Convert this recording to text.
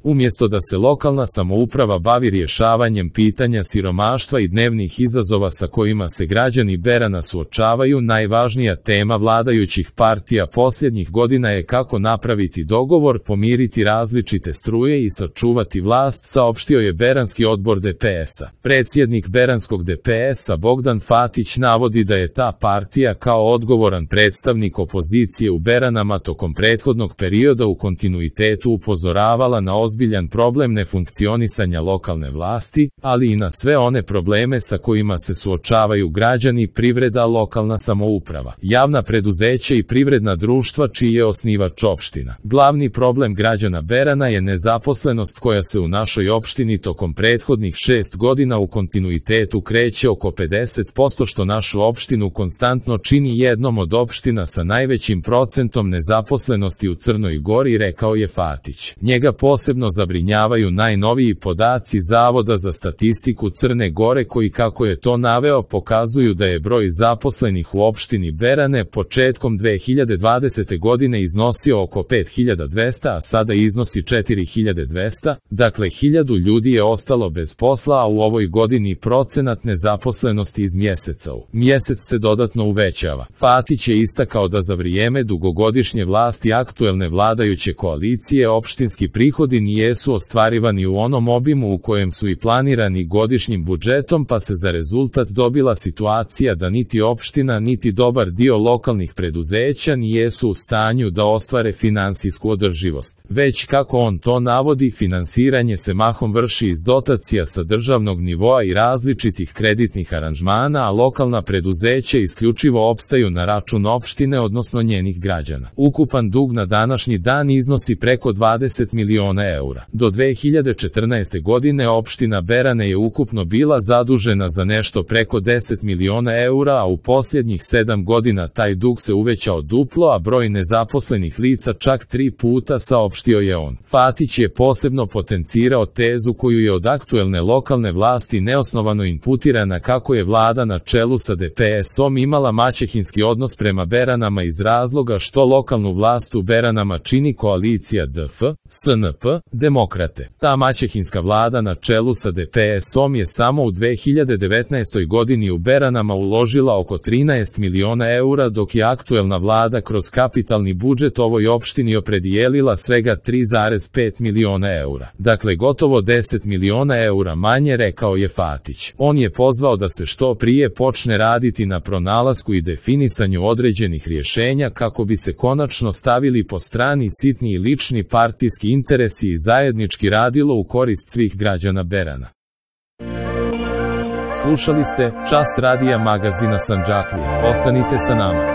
Umjesto da se lokalna samouprava bavi rješavanjem pitanja siromaštva i dnevnih izazova sa kojima se građani Berana suočavaju, najvažnija tema vladajućih partija posljednjih godina je kako napraviti dogovor, pomiriti različite struje i sačuvati vlast, saopštio je beranski odbor DPS-a. Predsjednik beranskog DPS-a Bogdan Fatić navodi da je ta partija kao odgovoran predstavnik opozicije u Beranama tokom prethodnog perioda u kontinuitetu upozoravala na ozbiljan problem nefunkcionisanja lokalne vlasti, ali i na sve one probleme sa kojima se suočavaju građani, privreda, lokalna samouprava, javna preduzeća i privredna društva čiji je osnivač opština. Glavni problem građana Berana je nezaposlenost koja se u našoj opštini tokom prethodnih 6 godina u kontinuitetu kreće oko 50%, što našu opštinu konstantno čini jednom od opština sa najvećim procentom nezaposlenosti u Crnoj Gori, rekao je Fatić. Njega posebno zabrinjavaju najnoviji podaci Zavoda za statistiku Crne Gore koji, kako je to naveo, pokazuju da je broj zaposlenih u opštini Berane početkom 2020. godine iznosio oko 5200, a sada iznosi 4200, dakle 1000 ljudi je ostalo bez posla, a u ovoj godini procenat nezaposlenosti iz mjeseca u mjesec se dodatno uvećava. Fatić je istakao da za vrijeme dugogodišnje vlasti aktuelne vladajuće koalicije opštinski prihodi nijesu ostvarivani u onom obimu u kojem su i planirani godišnjim budžetom, pa se za rezultat dobila situacija da niti opština niti dobar dio lokalnih preduzeća nijesu u stanju da ostvare finansijsku održivost. Već, kako on to navodi, finansiranje se mahom vrši iz dotacija sa državnog nivoa i različitih kreditnih aranžmana, a lokalna preduzeća isključivo opstaju na račun opštine, odnosno njenih građana. Ukupan dug na današnji dan iznosi preko 20 miliona eura. Do 2014. godine opština Berane je ukupno bila zadužena za nešto preko 10 miliona eura, a u posljednjih 7 godina taj dug se uvećao duplo, a broj nezaposlenih lica čak 3 puta, saopštio je on. Fatić je posebno potencirao tezu koju je od aktuelne lokalne vlasti neosnovano imputirana kako je vlada na čelu sa DPS-om imala maćehinski odnos prema Beranama iz razloga što lokalnu vlast u Beranama čini koalicija DF, SNP, Demokrate. Ta maćehinska vlada na čelu sa DPS-om je samo u 2019. godini u Beranama uložila oko 13 miliona eura, dok je aktuelna vlada kroz kapitalni budžet ovoj opštini opredijelila svega 3,5 miliona eura. Dakle, gotovo 10 miliona eura manje, rekao je Fatić. On je pozvao da se što prije počne raditi na pronalasku i definisanju određenih rješenja kako bi se konačno stavili po strani sitni i lični partijski interesi i zajednički radilo u korist svih građana Berana. Slušali ste Čas radija magazina Sandžaklija. Ostanite sa nama.